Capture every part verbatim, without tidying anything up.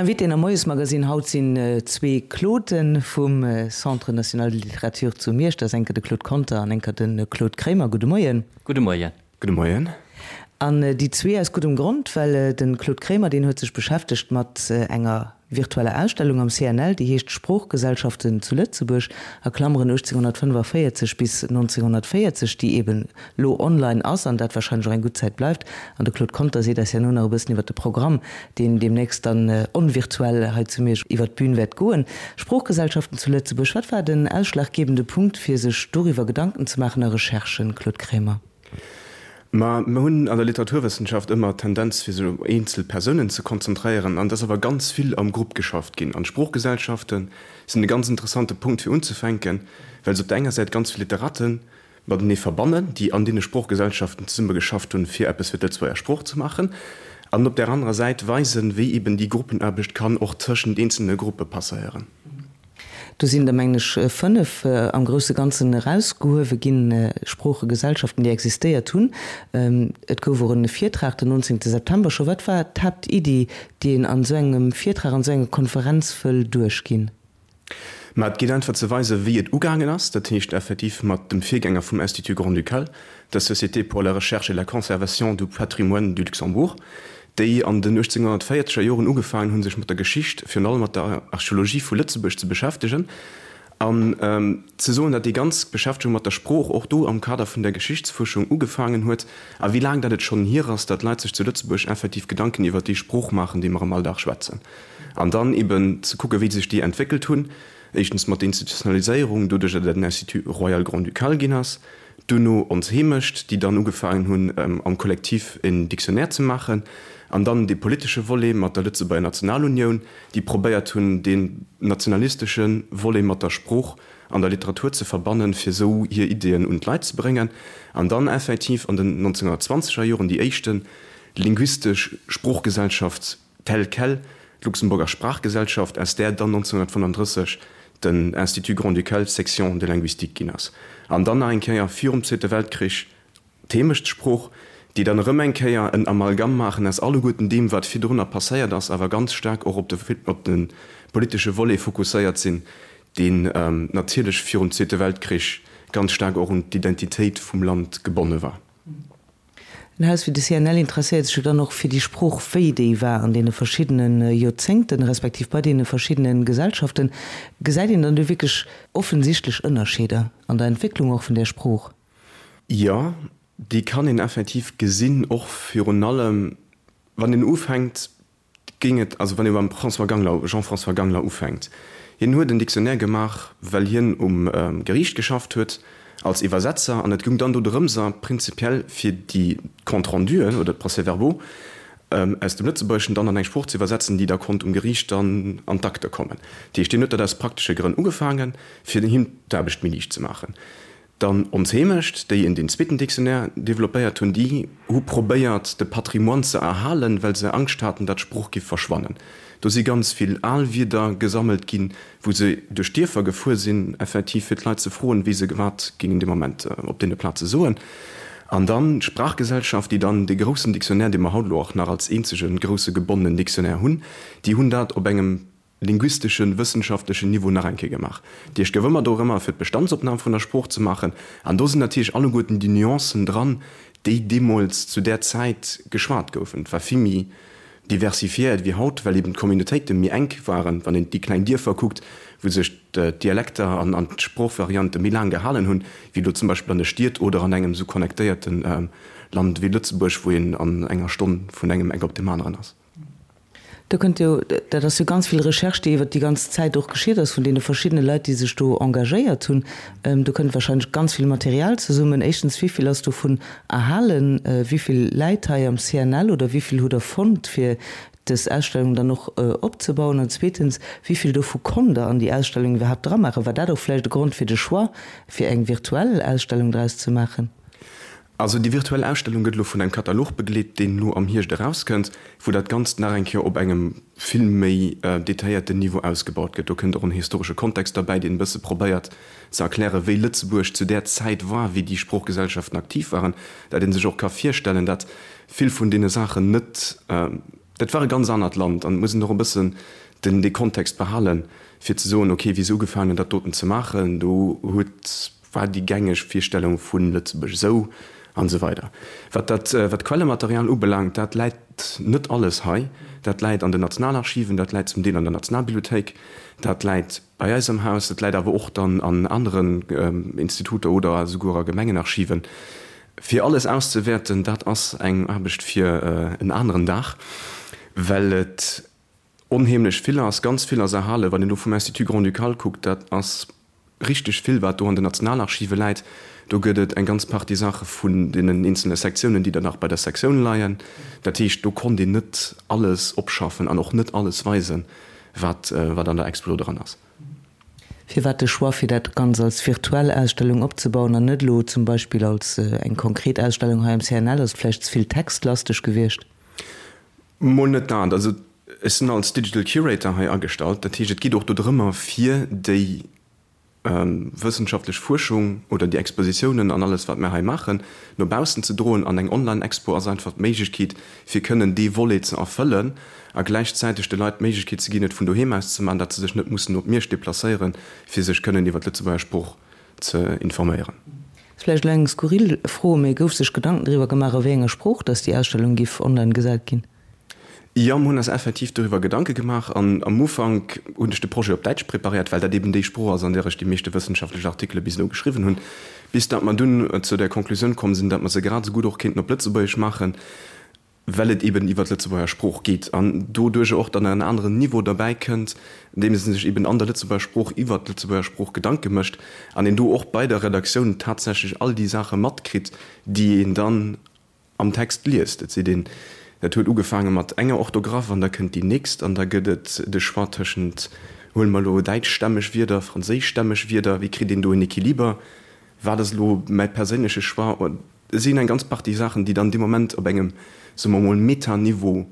Invitéen am Moiesmagazin haut sinn zwee Clauden vum Centre national de littérature zu Miersch. Dat ass enker de Claude Conter an enker de Claude Kremer. Gudde Moien. Gudde Moien. Gudde Moien. An déi zwee aus guddem Grond, well de Claude Kremer, deen huet sech beschäftegt mat enger virtueller Ausstellung am C N L, déi heescht Sproochgesellschaften zu Lëtzebuerg, a Klammeren achtzehnhundertfünfundvierzig bis neunzehnhundertvierzig, déi eben lo online ass an dat wahrscheinlech och eng gutt Zäit bleift. An de Claude Conter seet eis ja no nach e bëssen iwwer de Programm, deen deemnächst dann onvirtuell hei zu Miersch iwwer d'Bün wäert goen. Sproochgesellschaften zu Lëtzebuerg, wat war den ausschlaggebende Punkt, fir sech doriwwer Gedanken ze maachen a Recherchen, Claude Kremer? Ma mir hunn an der Literaturwëssenschaft ëmmer d'Tendenz, fir sech op eenzel Persounen ze konzentréieren, an et ass awer ganz vill am Grupp geschafft ginn. An d'Sproochgesellschafte sinn e ganz interessante Punkt fir unzefänken, well se op der enger Säit ganz vill Literaten matenee verbannen, déi an deene Sproochgesellschaften zesumme geschafft hunn, fir eppes fir d'Lëtzebuerger Sprooch ze maachen, an op där anerer Säit weisen, wéi eben déi Gruppenaarbecht kann och tëschent eenzelne Gruppe passéieren. Do sinn der, mengen ech, fënnef am grousse Ganzen erausgehuewe ginn, Sproochegesellschaften, déi existéiert hunn. Et gouf och e Virtrag den nonzéngte September scho. Wat war d'Haaptiddi, déi een an esou engem Virtrag, an esou enger Konferenz wëll duerchginn? Ma et geet einfach ze weisen, wéi et ugaangen ass, dat heescht effektiv mat dem Virgänger vum Institut Grand-Ducal, der Société pour la recherche et la conservation du patrimoine du Luxembourg, déi an den uechtzénhunnertvéierzeger Joren ugefaangen hunn, sech mat der Geschicht, virun allem mat der Archeologie vu Lëtzebuerg ze beschäftegen an ze soen, datt déi ganz Beschäftegung mat der Sprooch och do am Kader vun der Geschichtsfuerschung ugefaangen huet a wéi laang dat et schonn hier ass, datt Leit sech zu Lëtzebuerg effektiv Gedanken iwwert déi Sprooch maachen, déi mer am Alldag schwätzen. An dann eben ze kucken, wéi sech déi entwéckelt hunn, éischtens mat der Institutionaliséierung, doduerch datt et den Institut royal grand-ducal ginn ass, duerno Ons Heemecht, déi dann ugefaangen hunn, am Kollektiv en Dictionnaire ze maachen, an dann dee politesche Volet mat der Lëtzebuerger Nationalunioun, déi probéiert hunn, deen nationalistesche Volet mat der Sprooch an der Literatur ze verbannen, fir esou hir Ideeën un d'Leit ze bréngen. An dann effektiv an den nonzénhunnertzwanzeger Joren déi éischte linguistesch Sproochgesellschaft telle quelle, d'Luxemburger Sprachgesellschaft, aus där dann nonzénhunnertfënnenddrësseg den Institut Grand-Ducal, Section de linguistique ginn ass. An dann nach eng Kéier virum Zweete Weltkrich d'Heemechtssprooch, déi dann erëm eng Kéier en Amalgam maachen aus alleguerten deem, wat virdrunner passéiert ass, awer ganz staark och op de, op de politesche Volet fokusséiert sinn, deen natierlech virum Zweete Weltkrich ganz staark och un d'Identitéit vum Land gebonne war. En Haus wéi de C N L interesséiert sech jo dann och fir déi Sprooch, wéi déi war an deene verschiddene Joerzéngten, respektiv bei deene verschiddene Gesellschaften. Gesäit een dann do wierklech offensichtlech Ënnerscheeder an der Entwécklung och vun där Sprooch? Jo, déi kann een effektiv gesinn, och virun allem wann een ufänkt, géing et, also wann ee beim François Gangler, Jean-François Gangler ufänkt, hien huet en Dictionnaire gemaach, well hien um Geriicht geschafft huet als Iwwersetzer, an et goung dann do drëmser prinzipiell fir déi Compte-renduen oder d'Procès-verbaux aus dem Lëtzebuergeschen dann an eng Sprooch ze iwwersetzen, déi da konnt um Geriicht dann an d'Akte kommen. Dat heescht, hien huet dat aus praktesche Grënn ugefaangen, fir him d'Aarbecht méi liicht ze maachen. Dann Ons Heemecht, déi en deen zweeten Dictionnaire développéiert hunn, déi hu probéiert, de Patrimoine ze erhalen, well se Angscht haten, datt d'Sprooch giff verschwannen. Do si ganz vill al Wierder gesammelt ginn, wou se duerch d'Dierfer gefuer sinn, effektiv fir d'Leit ze froen, wéi se wat géingen dee Moment op deene Plaze soen. An dann d'Sprachgesellschaft, déi dann dee groussen Dictionnaire, dee mer haut elo och nach als eenzege grousse gebonnenen Dictionnaire hunn, déi hunn dat op engem linguisteschen, wëssenschaftlechen Niveau nach eng Kéier gemaach. Déi gouf ëmmer dorëmmer, fir d'Bestandsopnam vun der Sprooch ze maachen. An do sinn natierlech alleguerten déi Nuancen dran, déi deemools zu där Zäit geschwat goufen. Et war vill méi diversifiéiert wéi haut, well eben d'Communautéite méi enk waren. Wann een déi kleng Dierfer kuckt, wou sech d'Dialekter an d'Sproochvariante méi laang gehalen hunn, wéi elo zum Beispill an de Stied oder an engem esou connectéierte Land wéi Lëtzebuerg, wou een an enger Stonn vun engem Eck op deem aneren ass. Do kënnt jo, dat ass jo ganz vill Recherche, déi iwwert déi ganz Zäit och geschitt ass vun deene verschiddene Leit, déi sech do engagéiert hunn. Do kënnt wahrscheinlech ganz vill Material zesummen. Éischtens, wéi vill ass dovun erhalen? Wéi vill läit hei am C N L oder wéi vill hutt Der fonnt, fir dës Ausstellung dann och opzebauen? An zweetens, wéi vill dovu konnt Der an déi Ausstellung iwwerhaapt dramaachen? War dat och vläicht e Grond fir de Choix, fir eng virtuell Ausstellung draus ze maachen? Also déi virtuell Ausstellung gëtt elo vun engem Katalog begleet, deen elo am Hierscht erauskënnt, wou dat Ganzt nach eng Kéier op engem vill méi detailléierten Niveau ausgebaut gëtt. Do kënnt och en historesche Kontext derbäi, deen e bësse probéiert ze erklären, wéi Lëtzebuerg zu där Zäit war, wéi déi Sproochgesellschaften aktiv waren, dat ee sech och ka virstellen, dat vill vun deene Saachen net Dat war e ganz anert Land an et muss een och e bëssen den dee Kontext behalen, fir ze soen, okay, wéi se ugefaangen hunn, dat doten ze maachen, do huet, war déi gängeg Virstellung vu Lëtzebuerg esou an esou weider. Wat dat, wat d'Quellematerial ubelaangt, dat läit net alles hei. Dat läit an den Nationalarchiven, dat läit zum Deel an der Nationalbibliothéik, dat läit bei eis am Haus, dat läit awer och dann an aneren Instituter oder esouguer a Gemengenarchiven. Fir alles auszewäerten, dat ass eng Aarbecht fir en aneren Dag, well et onheemlech vill ass. Ganz vill ass erhalen. Wann een elo vum Institut Grand-Ducal kuckt, dat ass richteg vill, wat do an den Nationalarchive läit. Do gëtt et eng ganz Partie Saache vun deenen eenzelne Sektiounen, déi dann nach bei der Sektioun leien. Dat heescht, do konnt een net alles opschaffen an och net alles weisen, wat an der Expo do dran ass. Firwat de Choix, fir dat Ganz als virtuell Ausstellung opzebauen an net elo zum Beispill als eng konkret Ausstellung hei am C N L? Ass et vläicht ze vill textlasteg gewiescht? Mol net dat. Also ech sinn als Digital Curator hei agestallt. Dat heescht, et geet och do drëmmer, fir déi wëssenschaftlech Fuerschung oder déi Expositiounen an alles, wat mir hei maachen, no baussen ze droen. An eng Online-Expo ass einfach d'Méiglechkeet, fir kënnen dee Volet ze erfëllen a gläichzäiteg de Leit d'Méiglechkeet ze ginn, et vun doheem aus ze maachen, datt se sech net mussen op Miersch deplacéieren, fir sech kënnen iwwer d'Lëtzebuerger Sprooch ze informéieren. Ass vläicht elo eng skurril Fro, mee gouf sech Gedanken driwwer gemaach, a wéi enger Sprooch datt déi Ausstellung giff online gesat ginn? Jo, mir hunn eis effektiv doriwwer Gedanke gemaach an am Ufank hunn ech de Projet op Däitsch preparéiert, well dat eben déi Sprooch ass, an där ech déi meeschte wëssenschaftlech Artikele bis elo geschriwwen hunn, bis datt mer dunn zu der Konklusioun komm sinn, datt mer se grad esou gutt och kéinten op Lëtzebuergesch maachen, well et eben iwwer d'Lëtzebuerger Sprooch geet an doduercher och dann en aneren Niveau derbäi kënnt, andeems ee sech eben an der Lëtzebuerger Sprooch iwwer d'Lëtzebuerger Sprooch Gedanke mécht an een do och bei der Redaktioun tatsächlech all déi Saache matkritt, déi een dann am Text liest. Et seet een, dat huet ugefaange mat enger Orthograph an da kënnt déi nächst an da gëtt et de Choix tëschent, huele mer elo däitschstämmeg Wierder, franséischstämmeg Wierder, wéi kritt een do en Equiliber, wat ass elo mäi perséinleche Choix? Et sinn eng ganz Partie Saachen, déi dann dee Moment op engem, soe mer emol, Metaniveau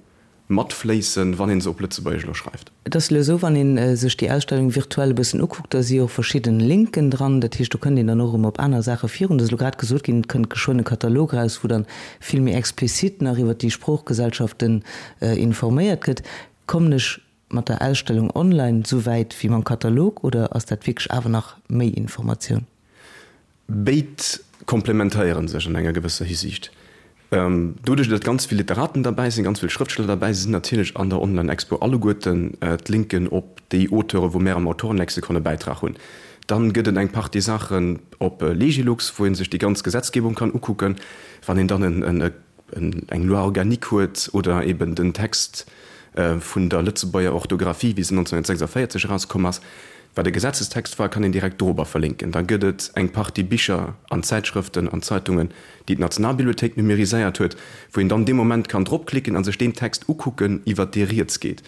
matfléissen, wann een se op Lëtzebuergesch elo schreift. Et ass elo esou, wann ee sech déi Ausstellung virtuell e bëssen ukuckt, da si och verschidden Linken dran. Dat heescht, do kënnt een dann och erëm op aner Saache virun. Et ass elo grad gesot ginn, et kënnt geschwënn e Katalog eraus, wou dann vill méi explizit nach iwwert déi Sproochgesellschaften informéiert gëtt. Kommen ech mat der Ausstellung online esou wäit wéi mam Katalog oder ass dat wierklech awer nach méi Informatioun? Béid komplementéiere sech an enger gewësser Hisiicht. Doduerch, datt ganz vill Literaten derbäi sinn, ganz vill Schrëftsteller derbäi sinn, sinn natierlech an der Online-Expo alleguerten d'Linken op déi Auteure wou mär am Autorenlexikon e Bäitrag hunn. Dann gëtt et eng Partie Saachen op Legilux, wou ee sech déi ganz Gesetzgebung kann ukucken. Wann een dann eng Loi organique huet oder eben den Text vun der Lëtzebuerger Orthografie, wéi se nonzénghunnertsechsundvéierzeg erauskomm ass, wat e Gesetzestext war, kann een direkt dorobber verlinken. Da gëtt et eng Partie Bicher an Zäitschrëften an Zeitungen, déi d'Nationalbibliothéik numériséiert huet, wou een dann dee Moment kann dropklicken a sech deen Text ukucken, iwwert dee rieds geet.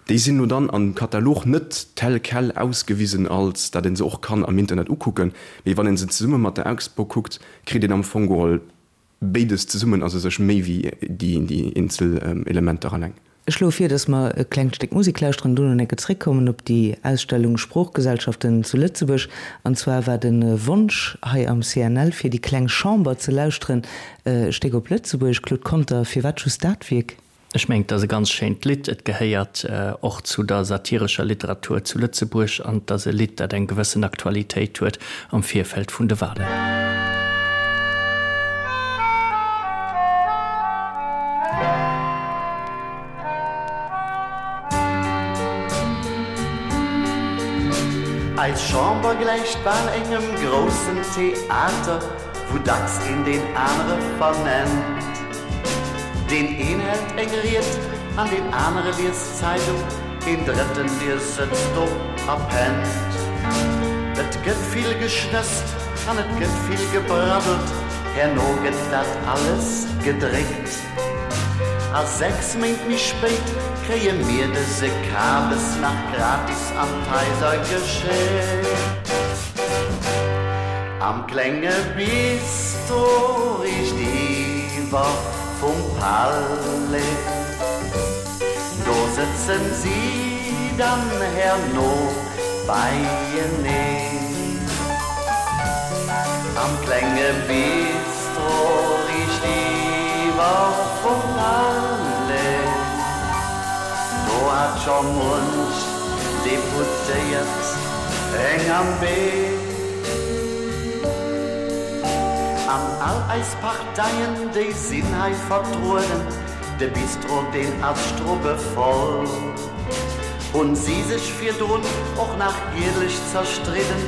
Déi sinn elo dann am Katalog net tel quel ausgewisen, als dat een se och kann am Internet ukucken, mee wann een se zesumme mat der Expo kuckt, kritt een am Fong geholl béides zesummen ass u sech méi wéi déi eenzel Elementer alleng. Ech schloe vir, dass mer e klengt Stéck Musek lauschteren an dono enke zréckkommen op déi Ausstellung Sproochgesellschaften zu Lëtzebuerg. An zwar war de Wonsch hei am C N L, fir déi kleng Chamber ze lauschteren, e Stéck op Lëtzebuergesch. Claude Conter, firwat just dat Wierk? Ech mengen, et ass e ganz schéint Lidd. Et gehéiert och zu der satirescher Literatur zu Lëtzebuerg an et ass e Lidd, dat eng gewëssen Aktualitéit huet am Virfeld vun de Wahlen. Eis Chamber gläicht bal engem groussen Theater, wou dacks een deen anere vernennt. Deen een hält eng Ried an deen anere liest d'Zeidung, een Drëtten dee sëtzt do a pennt. Et gëtt vill geschnësst an et gëtt vill gebraddelt, herno gëtt dat alles gedréckt. A sechs Méint méi spéit kréie mir dëse Kabes nach gratis an d'Haiser geschéckt. Am klenge Bistro riichtiwwer vum Palais, do sëtzen si dann herno beieneen. Am klenge Bistro riichtiwwer vum Palais, scho munch Deputéiert eng am Been. An all eis Parteien, déi sinn hei vertrueden, de Bistro, deen ass strubbevoll. Hunn si sech virdrun och nach giedlech zerstridden,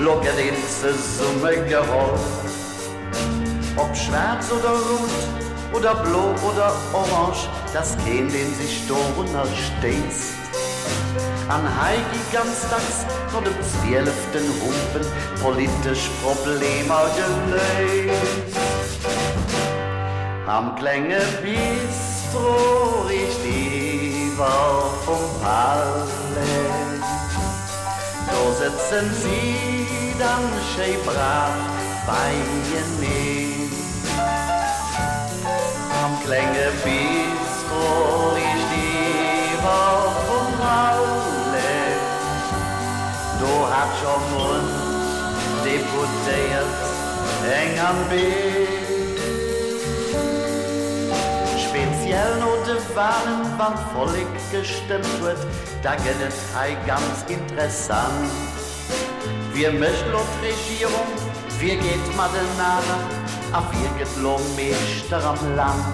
lo gëtt een zesummegeholl. Ob schwaarz oder rout oder blo oder orange, 't ass keen, deen sech dorunner stéisst. An hei gi ganz dacks no dem zwieleften Humpen politesch Problemer geléist. Am klenge Bistro riichtiwwer vum Palais, do sëtzen si dann schéi brav beieneen. Am klenge Bistro riichtiwwer vum Palais, do hat scho munch Deputéiert eng am Been. Speziell no de Walen, wann d'Vollek gestëmmt huet, da gëtt et hei ganz interessant. Wie mécht lo d'Regierung, wie geet matenaner a wie gëtt lo Meeschter am Land?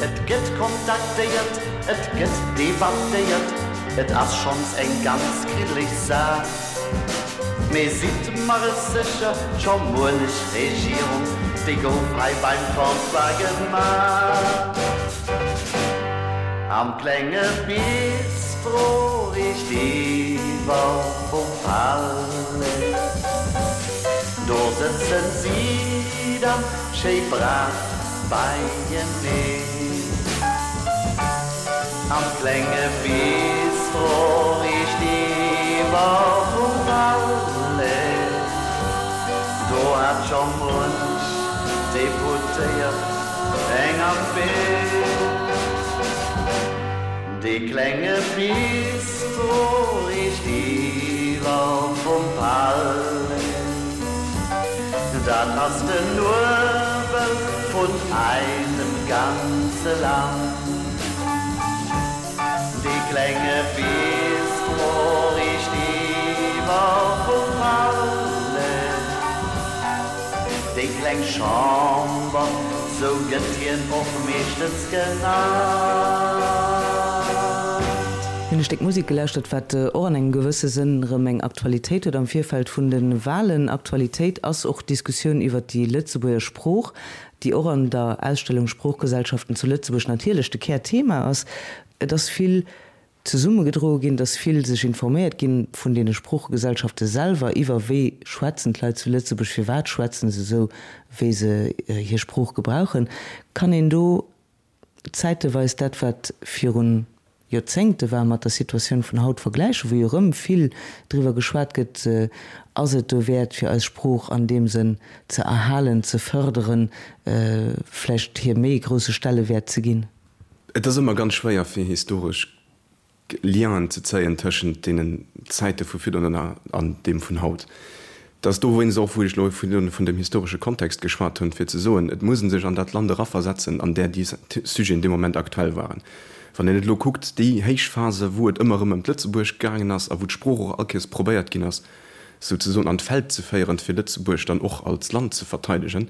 Et gëtt kontaktéiert, et gëtt debattéiert, et ass schonns eng ganz kriddeleg Saach. Mee sidd mer et sécher, scho muenech Regierung, déi gouf hei beim Comptoir gemaach. Am klenge Bistro riichtiwwer vum Palais, do sëtzen si dann schéi brav beieneen. Am klenge Bistro riichtiwwer vum Palais, do hat scho munch Deputéiert eng am Been. Dee klenge Bistro riichtiwwer vum Palais, dat ass den Nuebel vun eisem ganze Land. Dee klenge Bistro riichtiwwer vum Palais, déi kleng Chamber, sou gëtt hien och meeschtens genannt. Mir hunn e Stéck Musek gelauschtert, wat och an engem gewësse Sënn erëm eng Aktualitéit huet am Virfeld vun de Walen. Aktualitéit ass och d'Diskussioun iwwert déi Lëtzebuerger Sprooch, déi och an der Ausstellung Sproochgesellschaften zu Lëtzebuerg natierlech de Kärthema ass. Et ass vill zesummegedroe ginn, et ass vill sech informéiert ginn vun deene Sproochegesellschafte selwer iwwer wéi schwätzen d'Leit zu Lëtzebuerg, firwat schwätzen se esou, wéi se hir Sprooch gebrauchen. Kann een do zäiteweis dat, wat virun Joerzéngte war, mat der Situatioun vun haut vergläichen, wou jo erëm vill driwwer geschwat gëtt, ass et dowäert, fir eis Sprooch an deem Sënn ze erhalen, ze fërderen, vläicht hir méi e grousse Stellewäert ze ginn? Et ass ëmmer ganz schwéier, fir historesch Lienen ze zéien tëschent deenen Zäite vu virdrun an deem vun haut. Dat ass dowéinst och, wou ech elo virdrun vun dem historesche Kontext geschwat hunn, fir ze soen, et muss ee sech an dat Land eraversetzen, an där déi Sujeten dee Moment aktuell waren. Wann een et elo kuckt, déi héich Phase, wou et ëmmer erëm ëm d'Lëtzebuerg gaangen ass a wou d'Sprooch och all Kéiers probéiert ginn ass, souzesoen an d'Feld ze féieren, fir Lëtzebuerg dann och als Land ze verteidegen,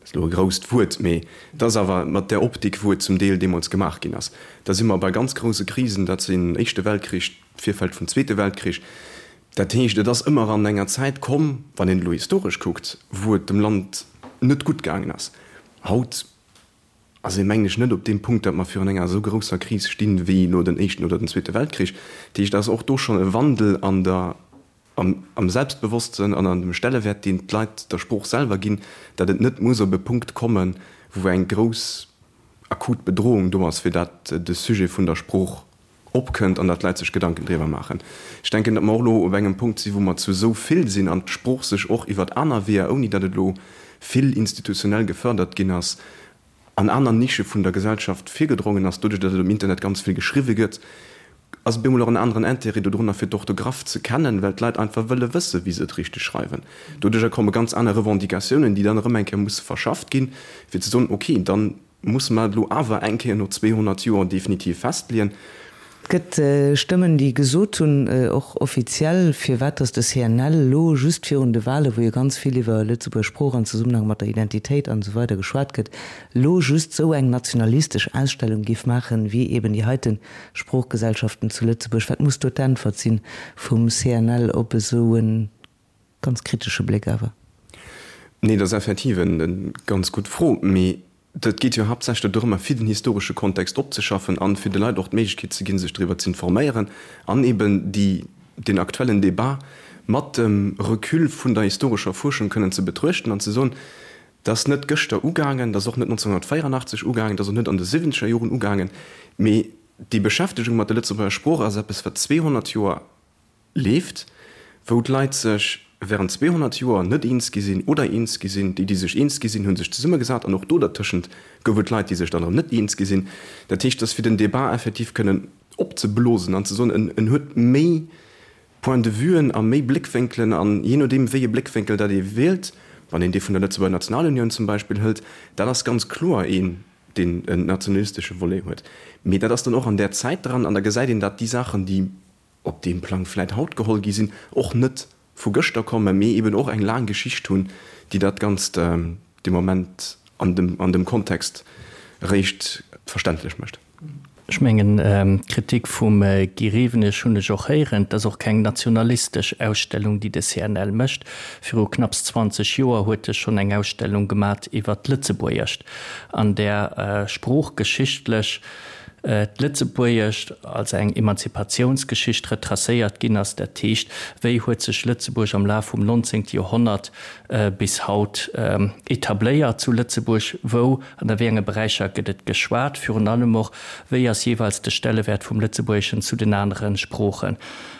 ass elo e grousst Wuert, mee et ass awer mat där Optik, wou et zum Deel deemools gemaach ginn ass. Da si mer bei ganz grouse Krisen, dat sinn Éischte Weltkrich, d'Virfeld vum Zweete Weltkrich. Dat heescht, et ass ëmmer an enger Zäit komm, wann een elo historesch kuckt, wou et dem Land net gutt gaangen ass. Haut ass ee mengen ech net op deem Punkt, datt mer virun enger esou grousser Kris stinn, wéi elo den Éischten oder den Zweete Weltkrich. Dat heescht, et ass och do schonn e Wandel an der, am, am Selbstbewosstsënn an an dem Stellewäert, deen d'Leit der Sprooch selwer ginn, datt et net muss op e Punkt kommen, wou eng grouss akut Bedrohung do ass, fir datt de Sujet vun der Sprooch opkënnt an datt d'Leit sech Gedanken driwwer maachen. Ech denken, datt mer och elo op engem Punkt sinn, wou mer zu esou vill sinn an d'Sprooch sech och iwwert aner Weeër, ouni datt et elo vill institutionell gefërdert ginn ass, an aner Nische vun der Gesellschaft virgedrongen ass, doduerch datt et um Internet ganz vill geschriwwe gëtt, ass op eemol och en aneren Intérêt dodrunner fir d'Orthograph ze kennen, well d'Leit einfach wëlle wësse wéi se et richteg schreiwen. Doduercher komme ganz aner Revendicatiounen, déi dann erëm eng Kéier musse verschafft ginn, fir ze soen, ok, dann musse mer et elo awer eng Kéier no zweehonnert Joer definitiv festleeën. Et gëtt Stëmmen, déi gesot hunn, och offiziell, firwat datt de C N L elo just virun de Wahlen, wou jo ganz vill iwwer Lëtzebuerger Sprooch an Zesummenhang mat der Identitéit an esou weider geschwat gëtt, elo just esou eng nationalistesch Ausstellung géif maachen, wéi eben déi heiten Sproochgesellschaften zu Lëtzebuerg. Wat muss do d'Äntwert sinn vum C N L op esou e ganz kritesche Bléck awer? Nee, dat ass effektiv eng ganz gutt Fro. Mee dat geet jo haaptsächlech dorëmmer, fir den historesche Kontext opzeschaffen an fir de Leit och d'Méiglechkeet ze ginn, sech driwwer ze informéieren an eben déi, den aktuellen Débat mat dem Recul vun der historescher Fuerschung kënnen ze betruechten an ze soen, dat ass net gëschter ugaangen, dat ass och net neunzehnhundertvéierundachtzeg ugaangen, dat ass och net an de siwwenzeger Joren ugaangen, mee déi Beschäftegung mat der Lëtzebuerger Sprooch ass eppes, wat zweehonnert Joer leeft, wou d'Leit sech während zweehonnert Joer net eens gi sinn oder eens gi sinn. Déi, déi sech eens gi sinn, hu sech zesummegesat an och do dertëschent gouf et Leit, déi sech dann erëm net eens gi sinn. Dat heescht, dass fir den Débat effektiv kënnen opzeblosen an ze soen, en, en huet méi Point-de-vuen a méi Bléckwénkelen an jee nodeem, wéi e Bléckwénkel dat ee wielt, wann een dee vun der Lëtzebuerger Nationalunioun zum Beispill hëlt, dat ass ganz kloer een, deen en nationalistesche Volet huet. Mee dat ass dann och an där Zäit dran an da gesäit een, datt déi Saachen, déi op deem Plang vläit haut geholl gi sinn, och net vu gëschter kommen, mee eben och eng laang Geschicht hunn, déi dat Ganzt de Moment an dem, an dem Kontext eréischt verständlech mécht. Ech mengen, d'Kritik vum Guy Rewenig hunn ech och héieren. Et ass och keng nationalistesch Ausstellung, déi de C N L mécht. Viru knapps zwanzeg Joer huet e schonn eng Ausstellung gemat iwwer d'Lëtzebuergescht, an där sproochgeschichtlech d'Lëtzebuergescht als eng Emanzipatiounsgeschicht retracéiert ginn ass. Dat heescht, wéi huet sech Lëtzebuerg am Laf vum neunzehnten Joerhonnert bis haut etabléiert zu Lëtzebuerg, wou an a wéi enge Beräicher gëtt et geschwat, virun allem och, wéi ass jeeweils de Stellewäert vum Lëtzebuergeschen zu den anere Sproochen.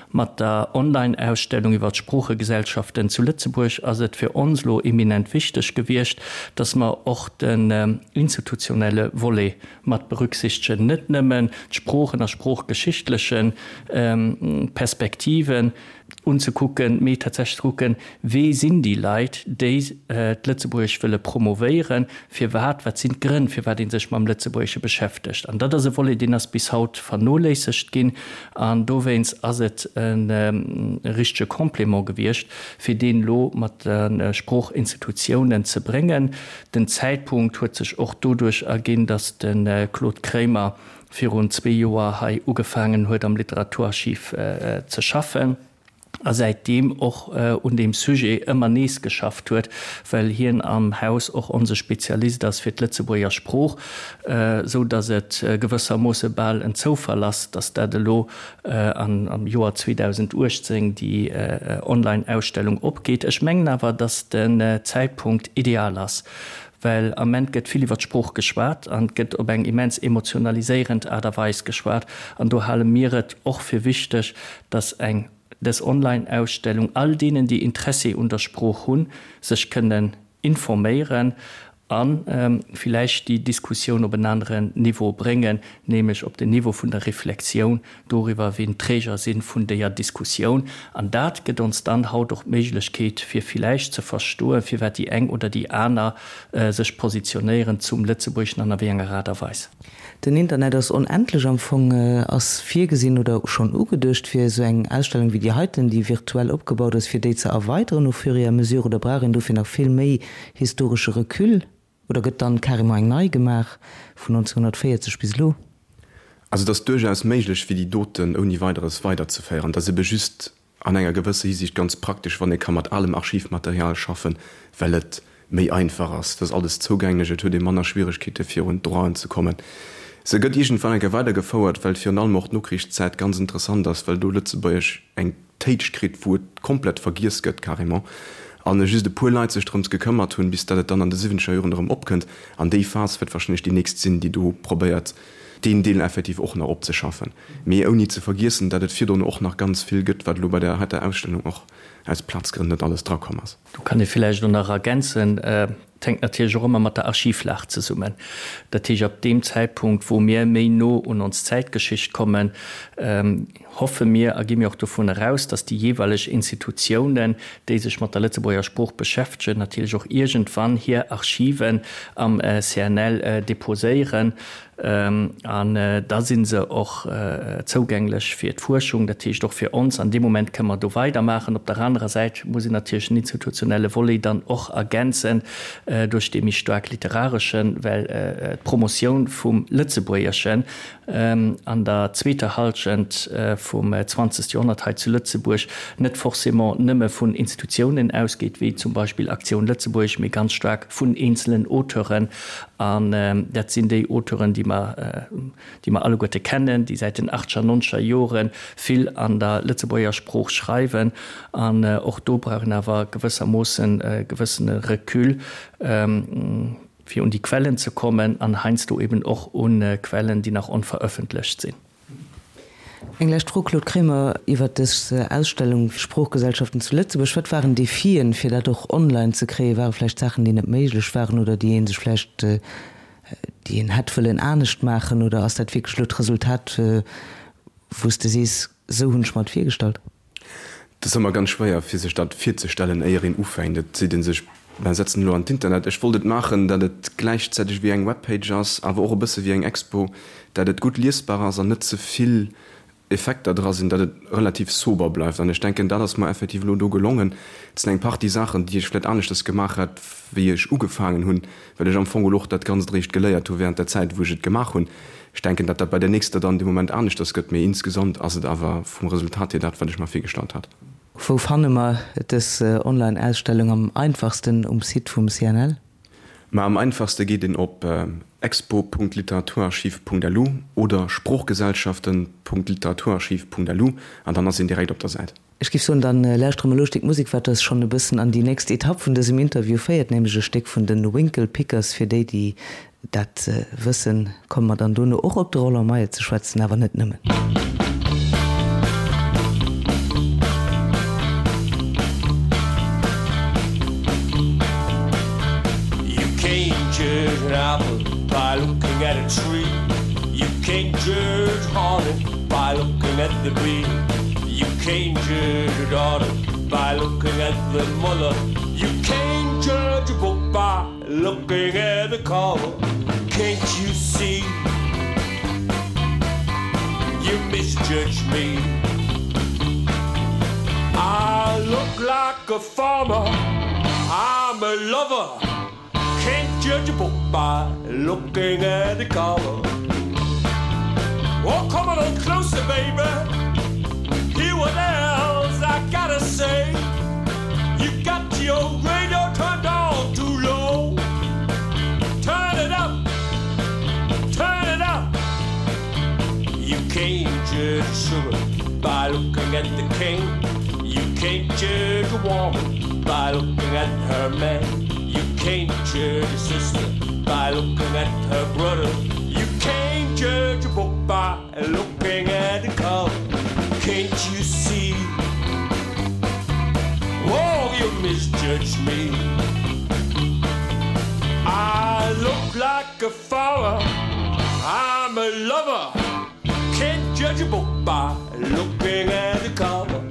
Mat der Online-Ausstellung iwwer d'Sproochegesellschaften zu Lëtzebuerg ass et fir ons elo eminent wichteg gewiescht, dass mer och den institutionelle Volet mat berücksichtegen, net nëmmen d'Sproochen a sproochgeschichtleche Perspektiven unzekucken, mee tatsächlech ze kucken, wee sinn déi Leit, déi d'Lëtzebuergesch wëlle promovéieren, firwat, wat sinn d'Grënn, firwat ee sech mam Lëtzebuergesche beschäftegt. An dat ass e Volet, deen ass bis haut vernoléissegt ginn, an dowéinst ass et e richtege Complément gewiescht, fir deen elo mat de Sproochinstitutiounen ze bréngen. Den Zäitpunkt huet sech och doduerch erginn, datt de Claude Kremer virun zwee Joer hei ugefaangen huet, am Literaturarchiv ze schaffen a säitdeem och un deem Sujet ëmmer nees geschafft huet, well hien am Haus och onse Spezialist ass fir d'Lëtzebuerger Sprooch, sou datt et gewëssermoosse bal en Zoufall ass, datt dat elo am Joer zweedausenduechtzéng déi Online-Ausstellung opgeet. Ech mengen awer, datt den Zäitpunkt ideal ass, well am Ament gëtt vill iwwer d'Sprooch geschwat an gëtt op eng immens emotionaliséierend Aart a Weis geschwat. An do hale mir et och fir wichteg, datt eng dës Online-Ausstellung all deenen, déi Interessi un der Sprooch hunn, sech kënnen informéieren an villäicht déi Diskussioun op en aneren Niveau bréngen, nämlech op den Niveau vun der Reflexioun doriwwer, wien d'Träger sinn vun déier Diskussioun. An dat gëtt ons dann haut och d'Méiglechkeet, fir villäicht ze verstoen, firwat déi eng oder déi aner sech positionéieren zum Lëtzebuergeschen an a wéi enger Aart a Weis. Den Internet ass onendlech. Am Fong ass virgesinn oder schonn ugeduecht, fir esou eng Ausstellung wéi déi heiten, déi virtuell opgebaut ass, fir déi ze erweideren au fur et à mesure, oder brauch een dofir nach vill méi historesche Recul? Oder gëtt dann carrément eng nei gemaach vun neunzehnhundertvéierzeg bis elo? Also et ass duerchaus méiglech, fir déi Doten ouni Weideres weiderzeféieren. Dat ass ebe just an enger gewësser Hisiicht ganz praktesch, wann ee ka mat alem Archivmaterial schaffen, well et méi einfach ass. Dat ass alles zougänglech, et huet ee manner Schwieregkeete fir un d'Droiten ze kommen. Se gëtt iergendwann eng Kéier weidergefouert, well virun allem och d'Nokrichszäit ganz interessant ass, well do Lëtzebuergesch eng Téitsch kritt, wou et komplett vergiess gëtt carrément, an just e puer Leit sech drëms gekëmmert hunn, bis datt et dann an de siwwenzeger Joren erëm opkënnt. An déi Phas wäert wahrscheinlech déi nächst sinn, déi do probéiert, deen Deel effektiv och nach opzeschaffen. Mee ouni ze vergiessen, datt et virdrun och nach ganz vill gëtt, wat elo bei der heiter Ausstellung och aus Plazgrënn net alles drakomm ass. Do kann ee villäicht och nach ergänzen, Et hänkt natierlech och ëmmer mat der Archivlag zesummen. Dat heescht, ab deem Zäitpunkt, wou mir méi no un ons Zäitgeschicht kommen, hoffe mir a gi mir och dovun eraus, dass déi jeeweileg Institutiounen, déi sech mat der Lëtzebuerger Sprooch beschäftegen, natierlech och iergendwann hir Archiven am C N L deposéieren. An da si se och zougänglech fir d'Fuerschung, dat heescht och fir ons. An deem Moment kënne mer do weidermaachen. Op der anerer Säit muss een natierlech den institutionelle Volet dann och ergänzen duerch dee méi staark literareschen, well d'Promotioun vum Lëtzebuergeschen an der zweeter Hallschent vum zwanzegste Joerhonnert hei zu Lëtzebuerg net forcément nëmme vun Institutiounen ausgeet, wéi zum Beispill Aktioun Lëtzebuerg, mee ganz staark vun eenzelen Auteuren. An dat sinn déi Auteuren, déi mer, déi mer alleguerte kennen, déi säit den achtzeger, nonzeger Jore vill an der Lëtzebuerger Sprooch schreiwen. An och do brauch een awer gewëssermoossen e gewëssene Recul, fir un déi Quellen ze kommen an heiansdo eben och un Quellen, déi nach onverëffentlecht sinn. Eng lescht Fro, Claude Kremer, iwwert dës Ausstellung Sproochgesellschaften zu Lëtzebuerg. Wat waren Defien, fir dat och online ze kréien? Ware vläicht Saachen, déi net méiglech waren oder déi ee sech vläicht, déi een hätt wëllen anescht maachen? Oder ass dat wierklech elo d'Resultat, wou s de sees, esou hunn ech mer et virgestallt? Et ass ëmmer ganz schwéier, fir sech dat virzestellen, éier een ufänkt. Et seet ee sech, Mer setzen elo an d'Internet. Ech wollt et maachen, datt et gläichzäiteg wéi eng Webpage ass, awer och e bësse wéi eng Expo, datt et gutt liesbar ass an net ze vill Effekter dra sinn, datt et relativ sober bleift. An ech denken, dat ass mer effektiv elo do gelongen. Et sinn eng Partie Saachen, déi ech vläicht aneschters gemaach hätt, wéi ech ugefaangen hunn, well ech am Fong elo och dat Ganzt eréischt geléiert hu während der Zäit, wou ech et gemaach hunn. Ech denken, datt dat bei der nächster dann dee Moment aneschters gëtt, mee insgesamt ass et awer vum Resultat hier dat, wat ech mer virgestallt hat. Wou fanne mer dës Online-Ausstellung am einfachsten? Um Site vum C N L? Ma am einfachste geet een op expo Punkt literaturarchiv Punkt lu oder sproochgesellschaften Punkt literaturarchiv Punkt lu an dann ass een direkt op der Säit. Ech géif soen, dann lauschtere mer elo e Stéck Musek, wat eis schonn e bëssen an déi nächst Etapp vun dësem Interview féiert, nämlech e Stéck vun de Winklepickers. Fir déi, déi dat wëssen, komme mer dann dono och op de Roland Meyer ze schwätzen, awer net nëmmen. You can't judge an apple by looking at a tree. You can't judge honey by looking at the bee. You can't judge a daughter by looking at the mother. You can't judge a book by looking at the cover. Can't you see? You misjudge me. I look like a farmer. I'm a lover. Can't judge a book by looking at the cover. Oh, come on closer, baby. Hear what else I gotta say. You got your radio turned on too low. Turn it up. Turn it up. You can't judge sugar by looking at the cane. You can't judge a woman by looking at her man. You can't judge a sister by looking at her brother. You can't judge a book by looking at the cover. Can't you see? Oh, you misjudge me. I look like a farmer. I'm a lover. Can't judge a book by looking at the cover.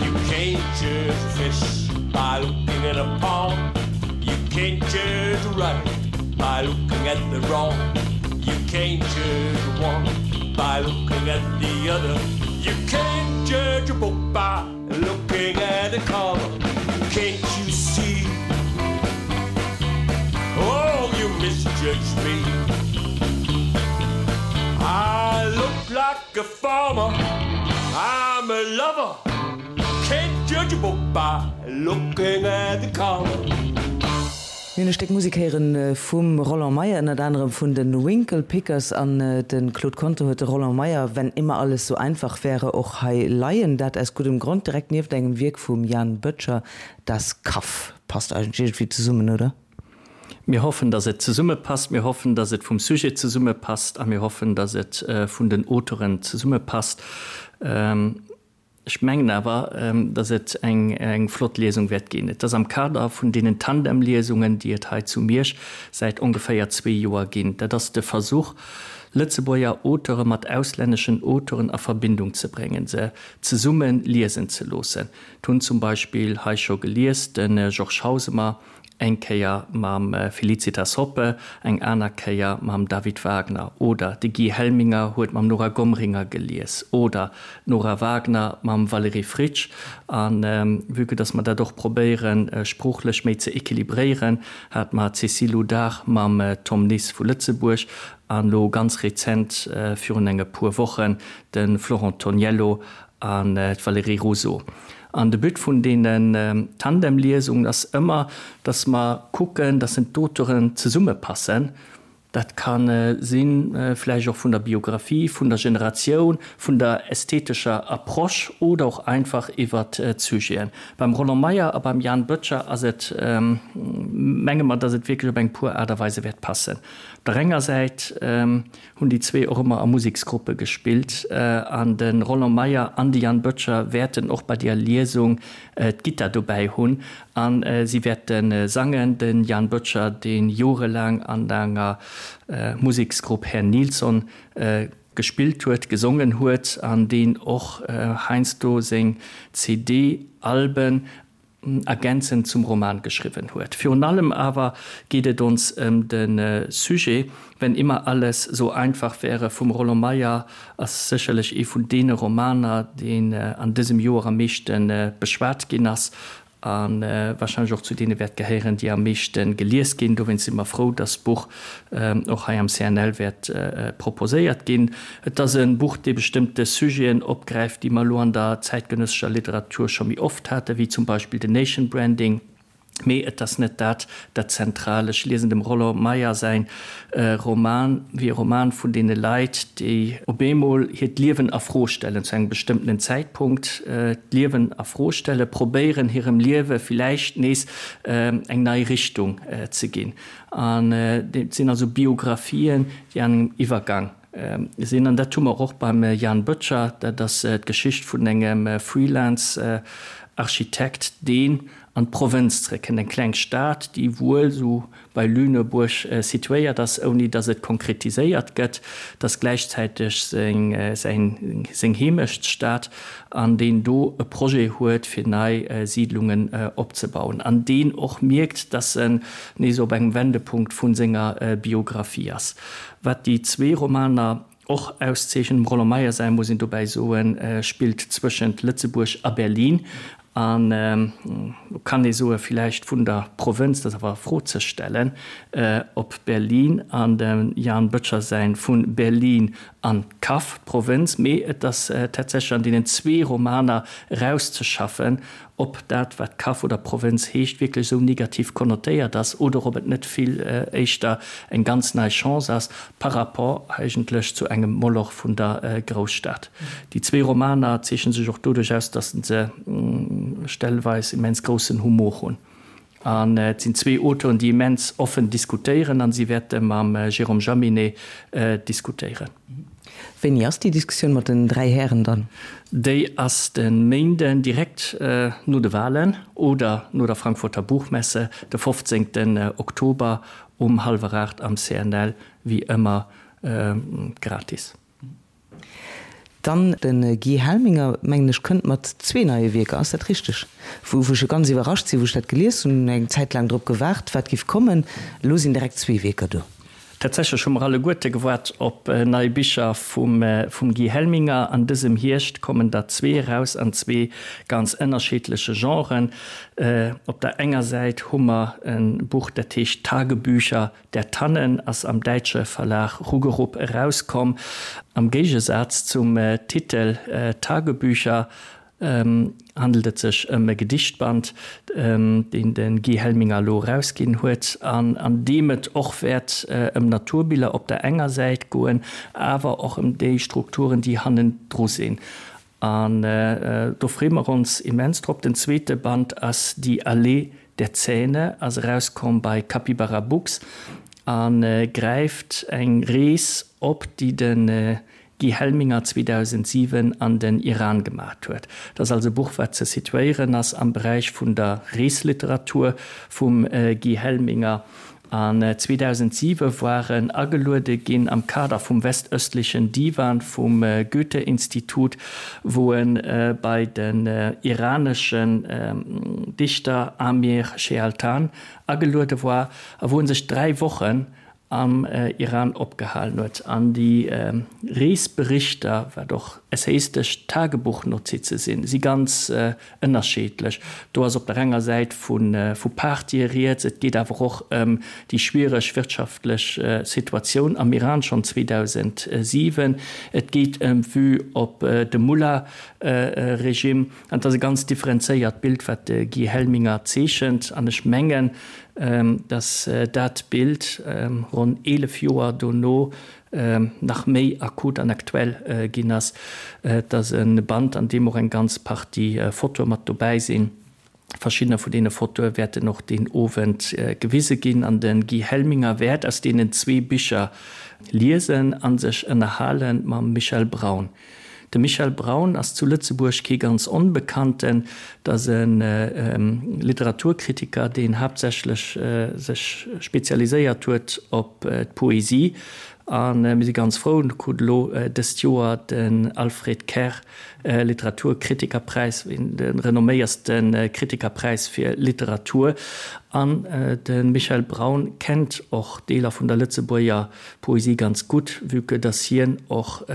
You can't judge a fish by looking in a pond. You can't judge a right by looking at the wrong. You can't judge one by looking at the other. You can't judge a book by looking at the cover. Can't you see? Oh, you misjudge me. I look like a farmer. I'm a lover. Can't judge a book by looking at the cover. Mir hunn e Stéck Musek héieren vum Roland Meyer, ënnert anerem vun de Winklepickers, an de Claude Conter huet de Roland Meyer Wenn immer alles so einfach wäre och hei leien. Dat aus guddem Grond, direkt nieft engem Wierk vum Jan Böttcher, Das Kaff. Passt eigentlech iergendwéi zesummen, oder? Mir hoffen, dass et zesummepasst. Mir hoffen, dass et vum Sujet zesummepasst a mir hoffen, dass et vun den Auteuren zesummepasst. Ech mengen awer, dass et eng flott Liesung wäert ginn. Et ass am Kader vun deenen Tandemliesungen, déi et hei zu Miersch säit ongeféier zwee Joer ginn. Dat ass de Versuch, Lëtzebuerger Auteure mat auslänneschen Auteuren a Verbindung ze bréngen, se zesumme liesen ze loossen. Et hunn zum Beispill hei scho gelies de Georges Hausemer, eng Kéier mam Felicitas Hoppe, eng aner Kéier mam David Wagner, oder de Guy Helminger huet mam Nora Gomringer gelies, oder d'Nora Wagner mam Valérie Fritsch. A vue que dass mer dat och probéieren, sproochlech méi ze équilibréieren, hat mer d'Cécile Houdard mam Tom Nis vu Lëtzebuerg an elo ganz rezent, virun enge puer Wochen, de Florent Toniello an d'Valérie Rousseau. An de But vun deenen Tandemliesungen ass ëmmer, dass mer kucken, dass d'Auteuren zesummepassen. Dat ka sinn, vläicht och vun der Biografie, vun der Generatioun, vun der ästhetescher Approche oder och einfach iwwert d'Sujeten. Beim Roland Meyer a beim Jan Böttcher ass et, menge mer, dass et wierklech op eng puer Aart a Weise wäert passen. Op der enger Säit hunn déi zwee och ëmmer a Museksgruppe gespillt an de Roland Meyer an de Jan Böttcher wäerten och bei deer Liesung d'Gittar dobäi hunn a si wäerte sangen. De Jan Böttcher, dee jorelaang an enger Museksgrupp Herr Nilsson gespillt huet, gesongen huet an deen och heiansdo seng C D-Alben ergänzend zum Roman geschriwwen huet. Virun allem awer geet et ons ëm de Sujet. Wenn immer alles so einfach wäre vum Roland Meyer ass sécherlech ee vun deene Romaner, deen an dësem Joer am meeschte beschwat ginn ass a warscheinlech och zu deene wäert gehéieren, déi am meeschte gelies ginn. Dowéinst si mer frou, dass d'Buch och hei am C N L wäert proposéiert ginn. Et ass e Buch, dee bestëmmte Sujeten opgräift, déi mer elo an der zäitgenëssescher Literatur scho méi oft haten, wéi zum Beispill den Nation Branding. Mee et ass net dat dat Zentraalt. Ech liesen dem Roland Meyer säin Roman wéi e Roman vun deene Leit, déi op eemol hiert Liewen a Fro stellen, zu engem bestëmmtenen Zäitpunkt d'Liewen a Fro stellen, probéieren hirem Liewe villäicht nees eng nei Richtung ze ginn. An et sinn also Biographien, déi an engem Iwwergang sinn. An dat hu mer och beim Jan Böttcher, dat ass d'Geschicht vun engem Freelance-Architekt, deen an d'Provënz zréckkënnt, eng kleng Stad, déi wuel esou bei Lüneburg situéiert ass, ouni datt et konkretiséiert gëtt, dat ass gläichzäiteg seng seng Heemechtsstad, an deen do e Projet huet, fir nei Siidlungen opzebauen, an deen och mierkt, datt en nees op engem Wendepunkt vu senger Biographie ass. Wat déi zwee Romaner och auszeechnen, dem Roland Meyer säi, muss een dobäi soen, spillt zwëschent Lëtzebuerg a Berlin, an do kann ee soe villäicht vun der Provënz, dat ass awer a Fro ze stellen, op Berlin, an dem Jan Böttcher säin Vun Berlin an d'Kaff, d'Provënz, mee et ass tatsächlech an deenen zwee Romaner erauszeschaffen, ob dat, wat Kaff oder Provënz heescht, wierklech esou negativ konnotéiert ass oder ob et net vill éischter eng ganz nei Chance ass par rapport eigentlech zu engem Moloch vun der Grousstad. Déi zwee Romaner zeechne sech och doduerch aus, datt se stellweis immens groussen Humor hunn. An et sinn zwee Auteuren, déi immens offen diskutéieren an si wäerte mam Jérôme Jaminet diskutéieren. Wéini ass déi Diskussioun mat den dräi Hären dann? Déi ass de Méinden direkt no de Walen oder no der Frankfurter Buchmesse, de fofzéngten Oktober um hallwer aacht am C N L, wéi ëmmer gratis. Dann de Guy Helminger, mengen ech, kënnt mat zwee neie Wierker, ass dat richteg? Wou ech jo ganz iwwerrascht sinn, wou ech dat gelies hunn, eng Zäit laang drop gewaart, wat giff kommen. Elo sinn direkt zwee Wierker do. Tatsächlech hu mer alleguerte gewaart op nei Bicher vum vum Guy Helminger. An dësem Hierscht kommen der zwee eraus an zwee ganz ënnerschiddleche Genren. Op der enger Säit hu mer e Buch, dat heescht Tagebücher der Tannen, ass am däitsche Verlag Rugerup erauskomm. Am Géigesaz zum Titel Tagebücher handelt et sech ëm e Gedichtband, deen de Guy Helminger elo erausginn huet an an deem et och wäert ëm Naturbiller op der enger Säit goen, awer och ëm déi Strukturen, déi hannendru sinn. An do freeë mer ons immens drop. Den zweete Band ass Die Allee der Zähne, ass erauskomm bei Capybara Books a gräift eng Rees op, déi de Guy Helminger zweedausendsiwen an den Iran gemat huet. Dat ass also e Buch, wat ze situéieren ass am Beräich vun der Reesliteratur vum Guy Helminger. An zweedausendsiewe war en ageluede ginn am Kader vum Westöstlichen Diwan vum Goethe-Institut, wou en bei den iraneschen Dichter Amir Shealtan ageluede war a wou en sech dräi Wochen am Iran opgehalen huet. An déi Reesberichter, wat och essaystesch Tagebuchnotize sinn, si ganz ënnerscheedlech. Do ass op der enger Säit vu vu Partye rieds, et geet awer och ëm déi schwiereg wirtschaftlech Situatioun am Iran schonn zweedausentsiwen, et geet ëm d'Vue op de Mullah-Regime. An et ass e ganz differenzéiert Bild, wat de Guy Helminger zeechent. An ech mengen, dass dat Bild ronn eelef Joer dono nach méi akut an aktuell ginn ass. Et ass e Band, an deem och eng ganz Partie Fotoe mat dobäi sinn. Verschiddener vun deene Fotoe wäerten och deen Owend gewise ginn an de Guy Helminger wäert aus deenen zwee Bicher liesen a sech ënnerhale mam Michel Braun. De Michel Braun ass zu Lëtzebuerg kee ganz Onbekannten. Et ass e Literaturkritiker, deen haaptsächlech sech spezialiséiert huet op d'Poesie. A mir si ganz frou, en krut elo dëst Joer den Alfred Kerr Literaturkritikerpräis, de renomméierste Kritikerpräis fir Literatur. An de Michel Braun kennt och Deeler vun der Lëtzebuerger Poesie ganz gutt, vue que dass hien och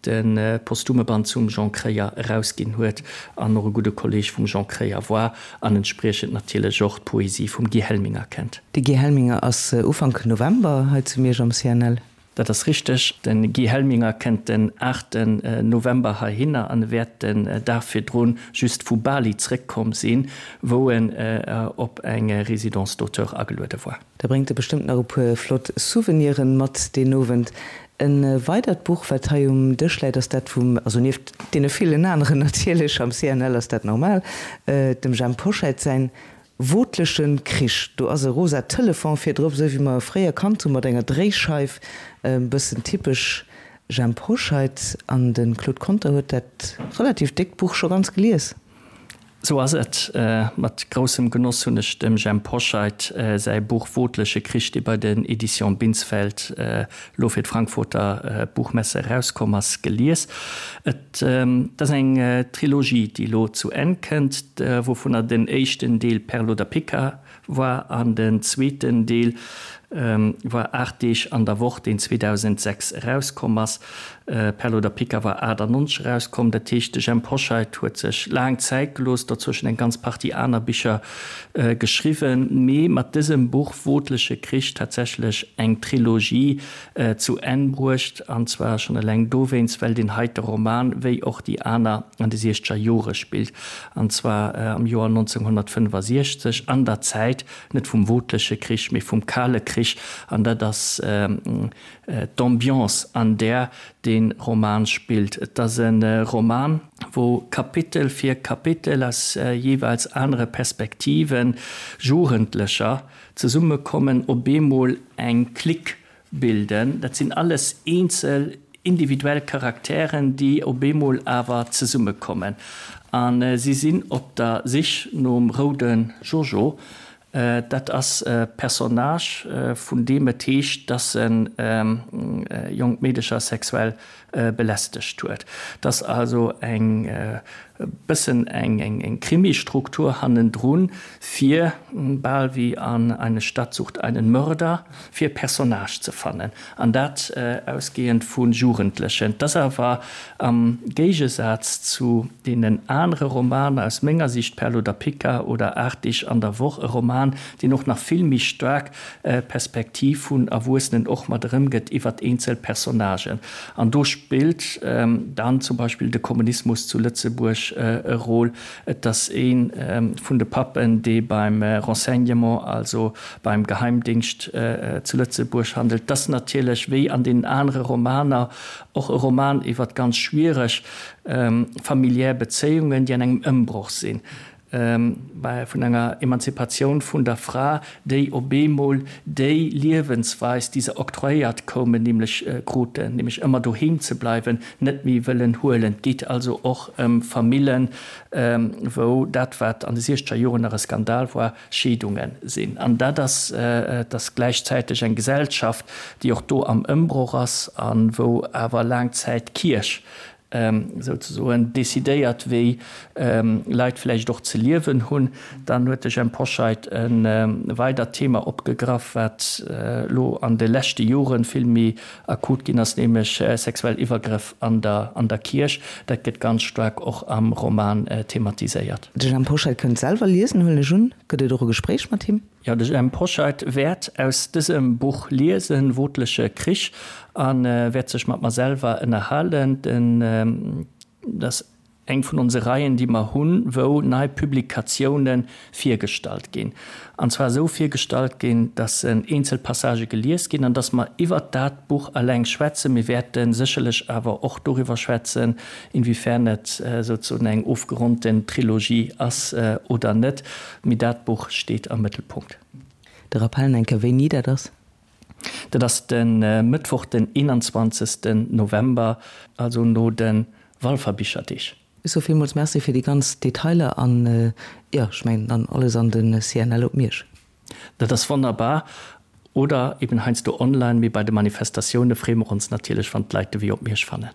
de posthume Band zum Jean Kreyer erausginn huet an och e gudde Kolleg vum Jean Kreyer war an entspriechend natierlech och d'Poesie vum Guy Helminger kennt. De Guy Helminger ass Ufank November hei zu Miersch am C N L. Dat ass richteg. De Guy Helminger kënnt den aachten November heihinner an e wäert den Dag virdrun just vu Bali zréckkomm sinn, wou en op eng Résidence d'auteur ageluede war. Da bréngt e bestëmmt nach e puer flott Souveniren mat deen Owend. E weidert Buch, wat hei um Dësch läit, ass dat vum, also nieft deene villen aneren natierlech, am C N L ass dat normal, dem Jhemp Hoscheit säin Wotlechen Krich. Do ass e rosa Telefon virdrop, esou wéi mer e fréier kannt hu mat enger Dréischeif, e bëssen typesch Jhemp Hoscheit. An de Claude Conter huet dat relativ déckt Buch scho ganz gelies. Sou ass et. Mat groussem Genoss hunn ech dem Jhemp Hoscheit säi Buch Wotleche Krich, dee bei den Editions Binsfeld elo fir d'Frankfurter Buchmesse erauskomm ass, gelies. Et ass eng Trilogie, déi elo zu Enn kënnt, wouvunner den éischten Deel Perl oder Pica war an den zweeten Deel war Aacht Deeg an der Woch, deen zweedausendsechs erauskomm ass. Perl oder Pica war aachtannonzeg erauskomm. Dat heescht, de Jhemp Hoscheit huet sech laang Zäit gelooss, dozwëschen eng ganz Partie aner Bicher geschriwwen, mee mat dësem Buch Wotleche Krich tatsächlech eng Trilogie zu Enn bruecht, an zwar schonn eleng dowéinst, well deen heite Roman, wéi och déi aner, an de siechzeger Jore spillt, an zwar am Joer nonzénghonnertfënnefasiechzeg, an der Zäit net vum Wotleche Krich, mee vum Kale Krich, an dat ass d'Ambiance, an där dee Roman spillt. Et ass e Roman, wou Kapitel fir Kapitel aus jeeweils anere Perspektive Jugendlecher zesummekommen, op eemol eng Clique bilden. Dat sinn alles eenzel, individuell Charakteren, déi op eemol awer zesummekommen. A si sinn op der Sich nom Roude Jojo. Dat ass e Personnage, vun deem et heescht, dass en jonk Meedecher sexuell belästegt huet. Et ass also eng bëssen eng eng eng Krimistruktur hannendrun, fir, bal wéi an Eine Stadt sucht einen Mörder, fir e Personnage ze fannen, an dat ausgehend vu Jugendlechen. Et ass awer am Géigesaz zu deenen anere Romaner, aus menger Sicht Perl oder Pica oder Aacht Deeg an der Woch, e Roman, deen och nach vill méi staark d'Perspektiv vun Erwuessenen och mat erëmgëtt iwwert eenzel Personnagen. An do spillt dann zum Beispill de Kommunismus zu Lëtzebuerg e Rôle. Et ass ee vun de Pappen, dee beim Renseignement, also beim Geheimdingscht zu Lëtzebuerg handelt. Et ass natierlech, wéi an deenen anere Romaner, och e Roman iwwert ganz schwiereg familiär Bezéiungen, déi an engem Ëmbroch sinn. Vun enger Emanzipatioun vun der Fra, déi op eemol déi Liewensweis, déi se octroyéiert koumen, nämlech kruten, nämlech ëmmer doheem ze bleiwen, net méi wëllen huelen. Et geet also och ëm Famillen, wou dat, wat an de siechzeger Joren nach e Skandal war, Scheedunge sinn. An dat ass, et ass gläichzäiteg eng Gesellschaft, déi och do am Ëmbroch ass a wou awer laang Zäit d'Kierch souzesoen decidéiert, wéi Leit vläicht och ze liewen hunn. Dann huet de Jhemp Hoscheit e weidert Thema opgegraff, wat elo an de leschte Jore vill méi akut ginn ass, nämlech sexuell Iwwergrëff an der an der Kierch. Dat gëtt ganz staark och am Roman thematiséiert. De Jhemp Hoscheit kënnt selwer liesen, huelen ech un. Gëtt et och e Gespréich mat him? Jo, de Jhemp Hoscheit wäert aus dësem Buch liesen, Wootleche Krich, a wäert sech mat mer selwer ënnerhalen. Den, dat ass eng vun onse Reien, déi mer hunn, wou nei Publikatioune virgestallt ginn. An zwar esou virgestallt ginn, dass eenzel Passagë gelies ginn an dass mer iwwert dat Buch eleng schwätzen. Mir wäerte sécherlech awer och doriwwer schwätzen, inwiefern et souzesoen eng ofgeronnten Trilogie ass oder net. Mee dat Buch steet am Mëttelpunkt. De Rappel eng Kéier, wéini dat ass? Dat ass de Mëttwoch den eenanzwanzegsten November, also no de Walfer Bicherdeeg. Ech soe villmools Merci fir déi ganz Detailer an, jo, ech mengen dann alles an de C N L op Miersch. Dat ass wonnerbar. Oder eben heiansdo online, mee bei de Manifestatioune freeë mer ons natierlech, wann d'Leit de Wee op Miersch fannen.